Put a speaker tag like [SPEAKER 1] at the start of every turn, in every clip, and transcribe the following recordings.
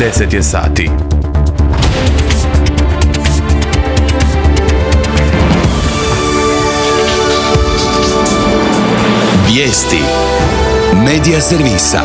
[SPEAKER 1] 10 je sati.
[SPEAKER 2] Vijesti Medija servisa.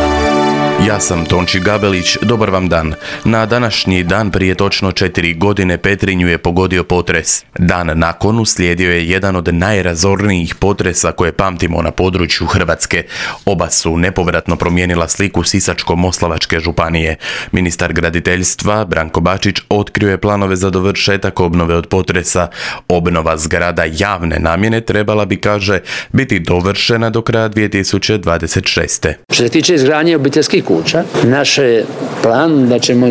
[SPEAKER 1] Ja sam Tonči Gabelić, dobar vam dan. Na današnji dan prije točno 4 godine Petrinju je pogodio potres. Dan nakon uslijedio je jedan od najrazornijih potresa koje pamtimo na području Hrvatske. Oba su nepovratno promijenila sliku Sisačko-moslavačke županije. Ministar graditeljstva Branko Bačić otkrio je planove za dovršetak obnove od potresa. Obnova zgrada javne namjene trebala bi, kaže, biti dovršena do kraja 2026.
[SPEAKER 3] Što se tiče izgradnje obiteljskih kuća, naš je plan da ćemo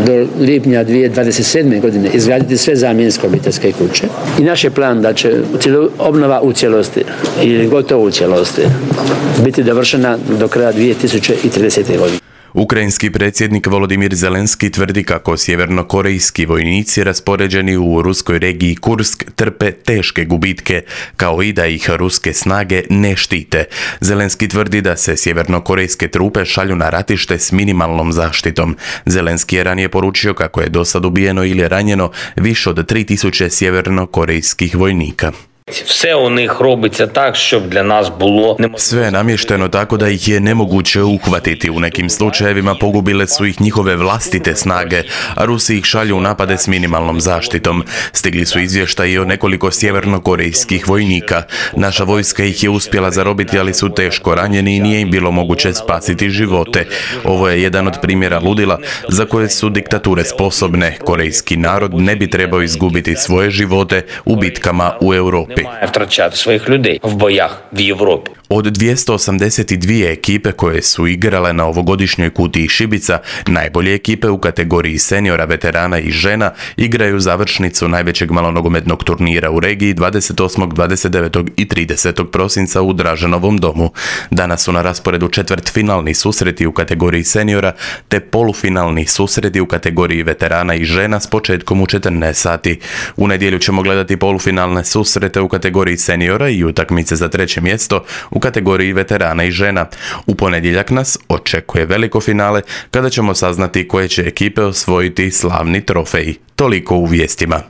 [SPEAKER 3] do lipnja 2027. godine izgraditi sve zamjenske obiteljske kuće i naš je plan da će obnova u cijelosti ili gotovo u cijelosti biti dovršena do kraja 2030. godine.
[SPEAKER 1] Ukrajinski predsjednik Volodimir Zelenski tvrdi kako sjevernokorejski vojnici raspoređeni u ruskoj regiji Kursk trpe teške gubitke, kao i da ih ruske snage ne štite. Zelenski tvrdi da se sjevernokorejske trupe šalju na ratište s minimalnom zaštitom. Zelenski je ranije poručio kako je dosad ubijeno ili ranjeno više od 3000 sjevernokorejskih vojnika.
[SPEAKER 4] Все у них робиться так, щоб для нас було неможливо.
[SPEAKER 1] Sve je namješteno tako da ih je nemoguće uhvatiti. U nekim slučajevima pogubile su ih njihove vlastite snage, a Rusi ih šalju u napade s minimalnom zaštitom. Stigli su izvještaji o nekoliko sjevernokorejskih vojnika. Naša vojska ih je uspjela zarobiti, ali su teško ranjeni i nije im bilo moguće spasiti živote. Ovo je jedan od primjera ludila za koje su diktature sposobne. Korejski narod ne bi trebao izgubiti svoje živote u bitkama u Europi.
[SPEAKER 4] Немає втрачати своїх людей в боях в Європі.
[SPEAKER 1] Od 282 ekipe koje su igrale na ovogodišnjoj kutiji šibica, najbolje ekipe u kategoriji seniora, veterana i žena igraju završnicu najvećeg malonogometnog turnira u regiji 28., 29. i 30. prosinca u Draženovom domu. Danas su na rasporedu četvrtfinalni susreti u kategoriji seniora te polufinalni susreti u kategoriji veterana i žena s početkom u 14 sati. U nedjelju ćemo gledati polufinalne susrete u kategoriji seniora i utakmice za treće mjesto u kategoriji veterana i žena. U ponedjeljak nas očekuje veliko finale kada ćemo saznati koje će ekipe osvojiti slavni trofej. Toliko u vijestima.